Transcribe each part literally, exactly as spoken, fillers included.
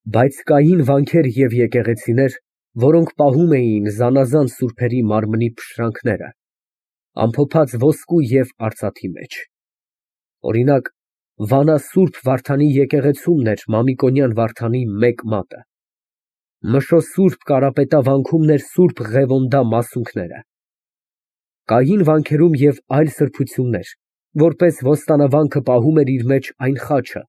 Բայց կային վանքեր և եկեղեցիներ, որոնք պահում էին զանազան սուրբերի մարմնի փշրանքները, ամփոփած ոսկու և արծաթի մեջ. օրինակ, Վանա սուրբ Վարդանի եկեղեցումն էր Մամիկոնյան Վարդանի մեկ մատը, Մշո սուրբ Կարապետա վանքում էր սուրբ Ղևոնդա մասունքները։ Կային վանքերում և այլ սրբություններ, որպես ոստանավանքը պահում էր իր մեջ այն խաչը,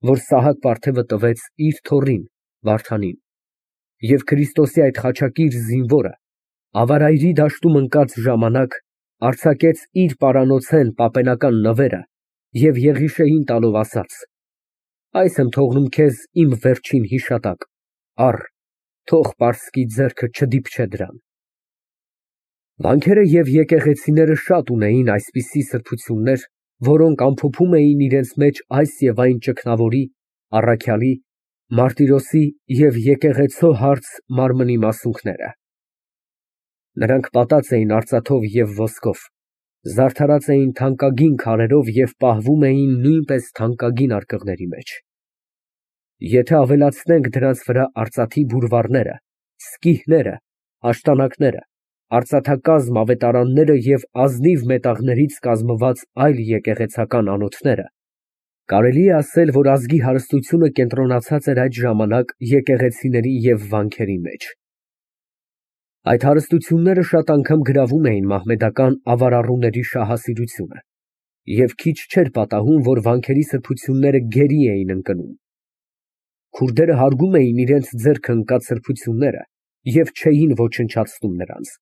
որ Սահակ պարթևը տվեց իր թոռին Վարդանին, և Քրիստոսի այդ խաչակիր զինվորը Ավարայրի դաշտում ընկած ժամանակ արձակեց իր պարանոցեն պապենական նվերը և Եղիշեին տալով ասաց. «Այս եմ թողնում քեզ իմ վերջին հիշատակ, առ, թող պարսկի ձեռքը չդիպչե դրան»։ Վանքերը և եկեղեցիները շատ ունեին այսպիսի սրբություններ, որոնք ամփոփում էին իրենց մեջ այս և այն ճգնավորի, առաքյալի, մարտիրոսի և եկեղեցու հարց մարմնի մասունքները։ Նրանք պատած էին արծաթով և ոսկով, զարդարած էին թանկագին քարերով և պահվում էին նույնպես թանկագինարկղների մեջ։ Եթե ավելացնենք դրանց վրա արծաթի բուրվարները, սկիհները, աշտանակները, արծաթակազմ ավետարանները և ազնիվ մետաղներից կազմված այլ եկեղեցական անոթները, կարելի է ասել, որ ազգի հարստությունը կենտրոնացած էր այդ ժամանակ եկեղեցիների և վանքերի մեջ։ Այդ հարստությունները շատ անգամ գրավում էին մահմեդական ավարառուների շահասիրությունը և քիչ չէր պատահում, որ վանքերի սրբությունները գերի էին ընկնում։ Քուրդերը հարգում էին իրենց ձեռքը ընկած սրբությունները և չէին ոչնչացնում նրանց։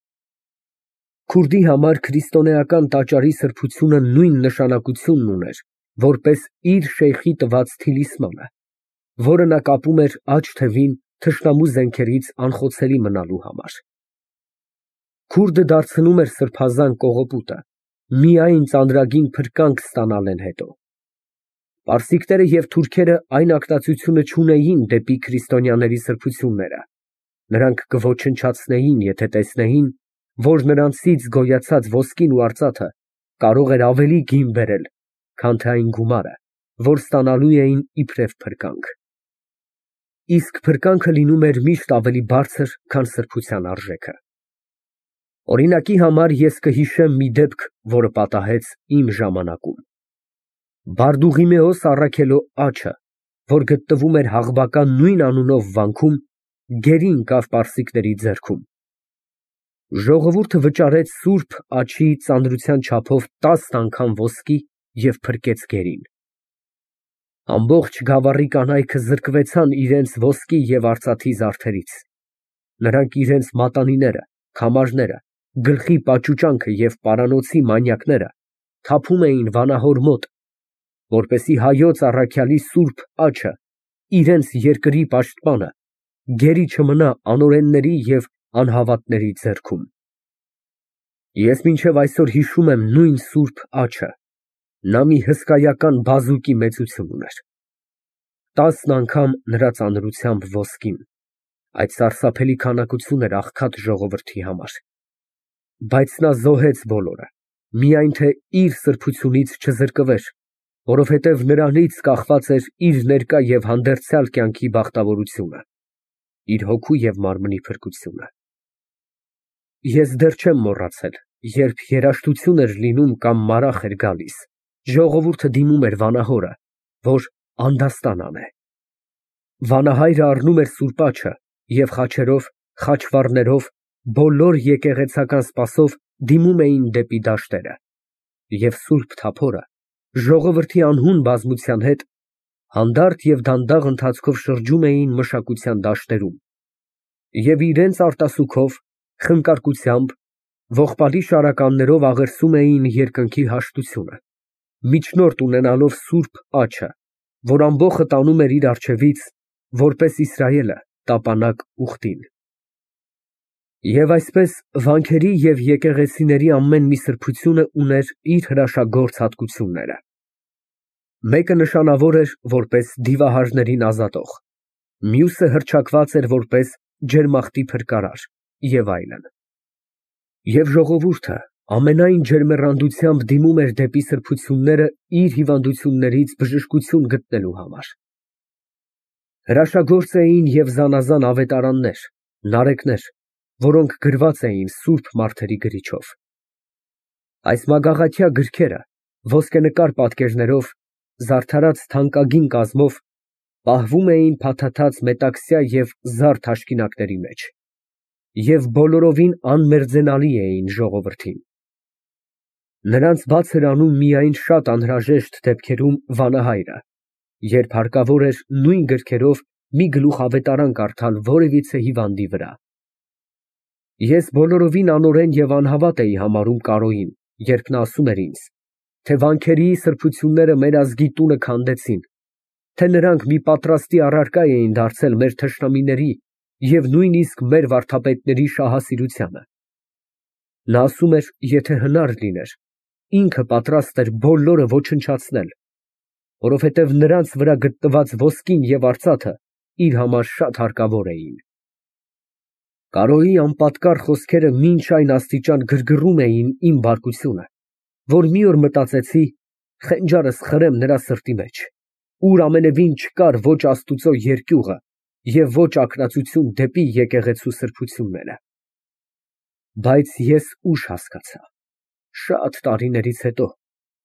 Քուրդի համար քրիստոնեական տաճարի սրբությունը նույն նշանակությունն ուներ, որպես իր շեյխի տված թիլիսմանը, որը նա կապում էր աջ թևին թշնամու զենքերից անխոցելի մնալու համար։ Քուրդը դարձնում էր սրբազան կողոպուտը միայն ծանրագին փրկանք ստանալն հետո։ Պարսիկները և թուրքերը այն ակտացությունը չունեին դեպի քրիստոնյաների սրբությունները, նրանք կոչնչացնեին, եթե տեսնեին, որ նրանցից գոյացած ոսկին ու արծաթը կարող էր ավելի գին բերել, քան թե այն գումարը, որ ստանալու էին իբրև փրկանք։ Իսկ փրկանքը լինում էր միշտ ավելի բարձր, քան սրբության արժեքը։ Օրինակի համար ես կհիշեմ մի դեպք, որը պատահեց իմ ժամանակում։ Բարդուղիմեոս առաքելո աջը, որ գտնվում էր Հաղբակա նույն անունով վանքում, գերի ընկավ պարսիկների ձեռքում։ Ժողովուրդը վճարեց սուրբ աջի ծանրության չափով տասն անգամ ոսկի և փրկեց գերին։ Ամբողջ գավառի կանայքը զրկվեցան իրենց ոսկի և արծաթի զարդերից։ Նրանք իրենց մատանիները, քամարները, գլխի պաճուճանքը և պարանոցի մանյակները թափում էին վանահոր մոտ, որպեսզի հայոց առաքյալի սուրբ աջը, իրենց երկրի պաշտպանը, գերի չմնա անօրենների և անհավատների ձեռքում։ Ես մինչև այսօր հիշում եմ նույն սուրբ աջը, նա մի հսկայական բազուկի մեծություն ուներ։ Տասն անգամ նրա ծանրությամբ ոսկին, այդ սարսափելի քանակություն էր աղքատ ժողովրդի համար։ Բայց նա զոհեց բոլորը, միայն թե իր սրբությունից չզրկվեր, որովհետև նրանից կախված էր իր ներկա և հանդերձյալ կյանքի բախտավորությունը, իր հոգու և մարմնի փրկությունը։ Ես դեռ չեմ մոռացել, երբ երաժշտություն էր լինում կամ մարախ էր գալիս, ժողովուրդը դիմում էր վանահորը, որ անդաստան անե։ Վանահայրը առնում էր սուրբ աջը և խաչերով, խաչվառներով, բոլոր եկեղեցական սպասով դիմում էին դեպի դաշտերը, և սուրբ թափորը ժողովրդի անհուն բազմության հետ հանդարտ և դանդաղ ընթացքով շրջում էին մշակության դաշտերում և իրենց արտասուքով, խնկարկությամբ, ողբալի շարականներով աղերսում էին երկնքի հաշտությունը, միջնորդ ունենալով սուրբ աջը, որ ամբոխը տանում էր իր առջևից, որպես Իսրայելը տապանակ ուխտին։ Եվ այսպես, վանքերի և եկեղեցիների ամեն մի սրբությունը ուներ իր հրաշագործ հատկությունները։ Մեկը նշանավոր էր որպես դիվահարներին ազատող, մյուսը հռչակված էր որպես ջերմախտի փրկարար և այլն։ Եվ ժողովուրդը ամենայն ջերմեռանդությամբ դիմում էր դեպի սրբությունները իր հիվանդություններից բժշկություն գտնելու համար։ Հրաշագործ էին և զանազան ավետարաններ, նարեկներ, որոնք գրված էին սուրբ մարդերի գրիչով։ Այս մագաղաթյա գրքերը ոսկենկար պատկերներով, զարդարած թանկագին կազմով, պահվում էին փաթաթած մետաքսյա և զար թաշկինակների մեջ և բոլորովին անմերձենալի էին ժողովրդին։ Նրանց բաց էր անում միայն շատ անհրաժեշտ դեպքերում վանահայրը, երբ հարկավոր էր նույն գրքերով մի գլուխ ավետարան կարդալ որևիցե հիվանդի վրա։ Ես բոլորովին անօրեն և անհավատ էի համարում Կարոյին, երբ նա ասում էր ինձ, թե վանքերի սրբությունները մեր ազգի տունը քանդեցին, թե նրանք մի պատրաստի առարկա էին դարձել մեր թշնամիների և նույնիսկ մեր վարդապետների շահասիրությանը։ Նա ասում էր, եթե հնար լիներ, ինքը պատրաստ էր բոլորը ոչնչացնել, որովհետև նրանց վրա գտնված ոսկին և արծաթը իր համար շատ հարկավոր էին։ Կարոյի անպատկառ խոսքերը մինչ այն աստիճան գրգռում էին իմ բարկությունը, որ մի օր մտածեցի խենջարս խրեմ նրա սրտի մեջ, ուր ամենևին չկար ոչ Աստուծո երկյուղը և ոչ ակնածություն դեպի եկեղեցու սրբությունները։ Բայց ես ուշ հասկացա, շատ տարիներից հետո,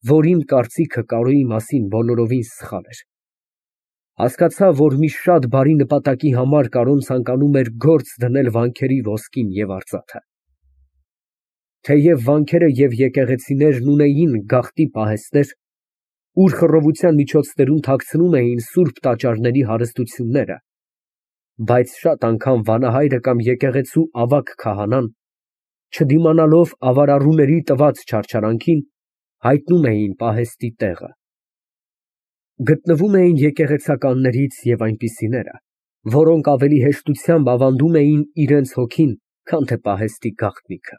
որ իմ կարծիքը Կարոյի մասին բոլորովին սխալ էր։ Հասկացա, որ մի շատ բարի նպատակի համար Կարոն ցանկանում էր գործ դնել վանքերի ոսկին և արծաթը։ Թեև վանքերը և եկեղեցիներն ունեին գաղտնի պահեստներ, ուր խռովության միջոցներում թաքցնում էին սուրբ տաճարների հարստությունները, բայց շատ անգամ վանահայրը կամ եկեղեցու ավագ քահանան, չդիմանալով ավարառուների տված չարչարանքին, հայտնում էին պահեստի տեղը։ Գտնվում էին եկեղեցականներից և այնպիսիները, որոնք ավելի հեշտությամբ ավանդում էին իրենց հոգին, քան թե պահեստի գաղտնիքը։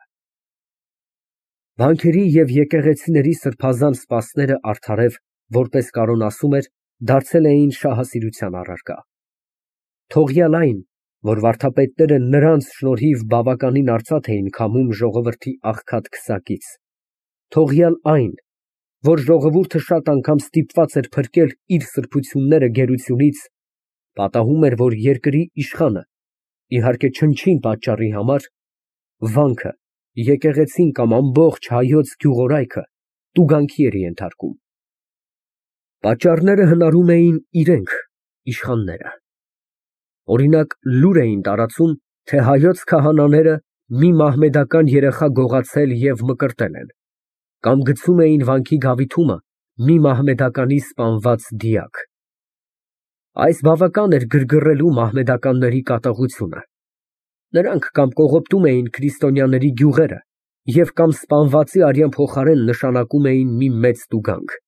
Վանքերի և եկեղեցիների սրբազան սպասները արդարև, որպես Կարոն ասում էր, դարձել էին շահասիրության առարկա։ Թողյալ այն, որ վարդապետները նրանց շնորհիվ բավականին արծաթ էին քամում ժողովրդի աղքատ քսակից, թողյալ այն, որ ժողովուրդը շատ անգամ ստիպված էր փրկել իր սրբությունները գերությունից, պատահում էր, որ երկրի իշխանը, իհարկե չնչին պատճառի համար, վանքը, եկեղեցին կամ ամբողջ հայոց գյուղորայքը տուգանքի էր ենթարկում։ Պատճառները հնարում էին իրենք, իշխանները։ Օրինակ, լուր էին տարածում, թե հայոց քահանաները մի մահմեդական երեխա գողացել և մկրտել են, կամ գցում էին վանքի գավիթումը մի մահմեդականի սպանված դիակ։ Այս բավական էր գրգռելու մահմեդականների կատաղությունը։ Նրանք կամ կողոպտում էին քրիստոնյաների գյուղերը և կամ սպանվածի արյան փոխարեն նշանակում էին մի մեծ տուգանք։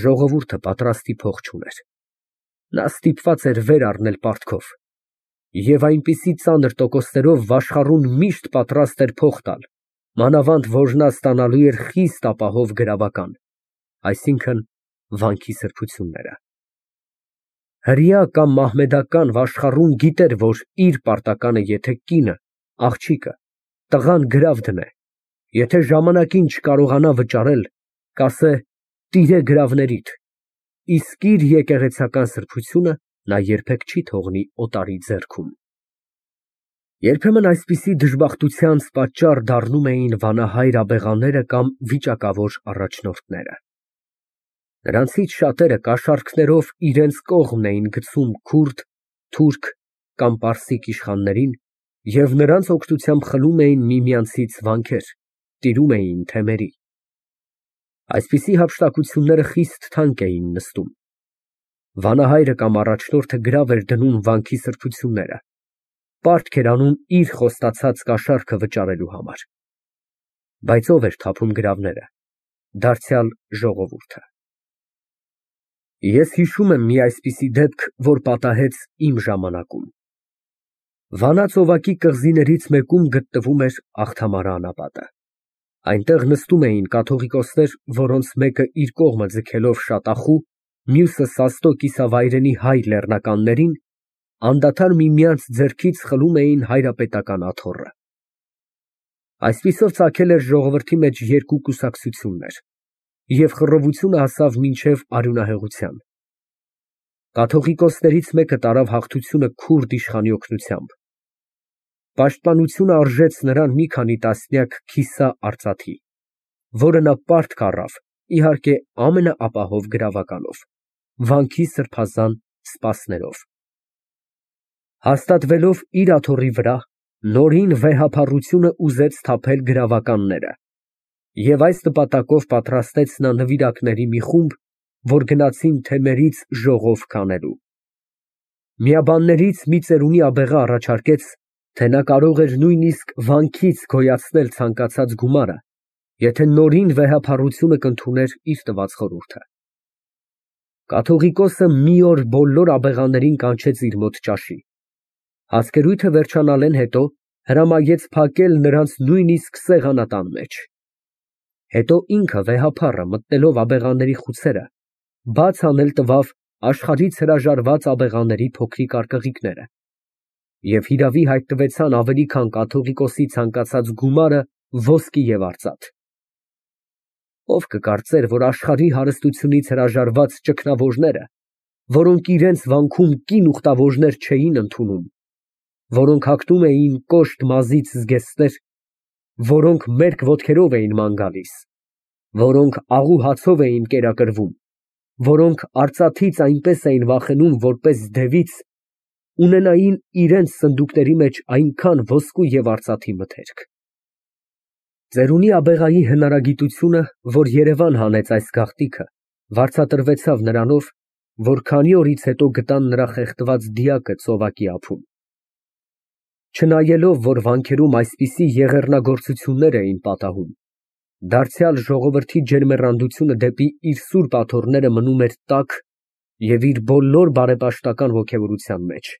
Ժողովուրդը պատրաստի փող չուներ։ Նա ստիպված էր վեր առնել պարտքով և այնպիսի ծանր տոկոսներով վաշխառուն միշտ պատրաստ էր փող տալ, մանավանդ որ նա ստանալու էր խիստ ապահով գրավական, այսինքն՝ վանքի սրբությունները։ Հրեա կամ մահմեդական վաշխառուն գիտեր, որ իր պարտականը եթե կինը, աղջիկը, տղան գրավ դնե, եթե ժամանակին չկարողանա վճարել, կասե տիրե գրավներիդ, իսկ իր եկեղեցական սրբությունը նա երբեք չի թողնի օտարի ձեռքում։ Երբեմն այսպիսի դժբախտությանց պատճառ դառնում էին վանահայր աբեղաները կամ վիճակավոր առաջնորդները։ Նրանցից շատերը կաշառքներով իրենց կողմն էին գցում քուրդ, թուրք կամ պարսիկ իշխաններին և նրանց օգնությամբ խլում էին միմյանցից վանքեր, տիրում էին թեմերի։ Այսպիսի հափշտակությունները խիստ թանկ էին նստում։ Վանահայրը կամ առաջնորդը գրավ էր դնում վանքի սրբությունները, պարտք էր անում իր խոստացած կաշառքը վճարելու համար։ Բայց ո՞վ էր թափում գրավները։ Դարձյալ ժողովուրդը։ Ես հիշում եմ մի այսպիսի դեպք, որ պատահեց իմ ժամանակում։ Վանա ծովակի կղզիներից մեկում գտնվում էր Աղթամարը անապատը։ Այնտեղ նստում էին կաթողիկոսներ, որոնց մեկը իր կողմը ձգելով շատախու, մյուսը սաստո կիսավայրենի հայ լեռնականներին, անդադար միմյանց ձեռքից խլում էին հայրապետական աթոռը։ Այսպիսով ծագել էր ժողովրդի մեջ երկու կուսակցություններ, և խռովությունը հասավ մինչև արյունահեղության։ Կաթողիկոսներից մեկը տարավ հաղթությունը քուրդ իշխանի օգնությամբ։ Պաշտպանությունը արժեց նրան մի քանի տասնյակ քիսա արծաթի, որը նա պարտք առավ, իհարկե, ամենաապահով գրավականով, վանքի սրբազան սպասներով։ Հաստատվելով իր աթոռի վրա, նորին վեհափառությունը ուզեց թափել գրավականները, և այս նպատակով պատրաստեց նա նվիրակների մի խումբ, որ գնացին թեմերից ժողով քանելու։ Միաբաններից մի ծերունի աբեղը առաջարկեց, թե նա կարող էր նույնիսկ վանքից գոյացնել ցանկացած գումարը, եթե նորին վեհափառությունը կընդուներ իր տված խորհուրդը։ Կաթողիկոսը մի օր բոլոր աբեղաներին կանչեց իր մոտ ճաշի։ Հասկերույթը վերջանալեն հետո հրամայեց փակել նրանց նույնիսկ սեղանատան մեջ։ Հետո ինքը վեհափառը, մտնելով աբեղաների խուցերը, բաց անել տվավ աշխարհից հրաժարված աբեղաների փոքրիկ արկղիկները, և հիրավի հայտնվեցան ավելի քան կաթողիկոսի ցանկացած գումարը ոսկի և արծաթ։ Ով կկարծեր, որ աշխարհի հարստությունից հրաժարված ճգնավորները, որոնք իրենց վանքում կին ուխտավորներ չէին ընդունում, որոնք հագնում էին կոշտ մազից զգեստներ, որոնք մերկ ոտքերով էին ման գալիս, որոնք աղու հացով էին կերակրվում, որոնք արծաթից այնպես էին վախենում, որպես դևից, ունենային իրենց սնդուկների մեջ այնքան ոսկու և արծաթի մթերք։ Ծերունի աբեղայի հնարագիտությունը, որ Երևան հանեց այս գաղտնիքը, վարձատրվեցավ նրանով, որ քանի օրից հետո գտան նրա խեղդված դիակը ծովակի ափում։ Չնայելով, որ վանքերում այսպիսի եղեռնագործություններ էին պատահում, դարձյալ ժողովրդի ջերմեռանդությունը դեպի իր սուրբ աթոռները մնում էր տաք և իր բոլոր բարեպաշտական ոգևորության մեջ։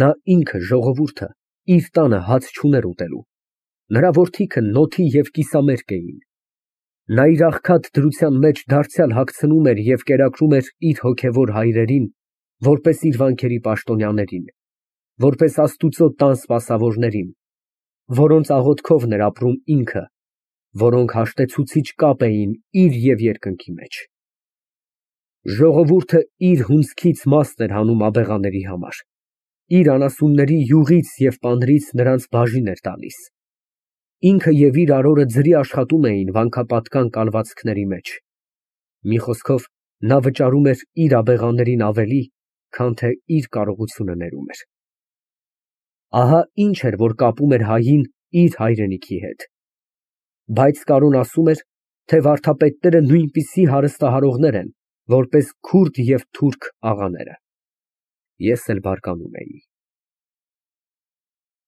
Նա ինքը, ժողովուրդը, իր տանը հաց չուներ ուտելու, նրա որդիքը նոթի և կիսամերկ էին։ Նա իր աղքատ դրության մեջ դարձյալ հագցնում էր և կերակրում էր իր հոգևոր հայրերին, որպես իր վանքերի պաշտոնյաներին, որպես Աստուծո տան սպասավորներին, որոնց աղոթքովն էր ապրում ինքը, որոնք հաշտեցուցիչ կապ էին իր և երկնքի մեջ։ Ժողովուրդը իր հունձքից մասն էր հանում աբեղաների համար, իր անասունների յուղից և պանրից նրանց բաժին էր տալիս։ Ինքը և իր արորը ձրի աշխատում էին վանքապատկան կալվածքների մեջ։ Մի խոսքով, նա վճարում էր իր աբեղաներին ավելի, քան թե իր կարողությունը ներում էր։ Ահա ինչ էր, որ կապում էր հային իր հայրենիքի հետ։ Բայց Կարոն ասում էր, թե վարդապետները նույնպիսի հարստահարողներ են, որպես քուրդ և թուրք աղաները։ Ես էլ բարկանում էի։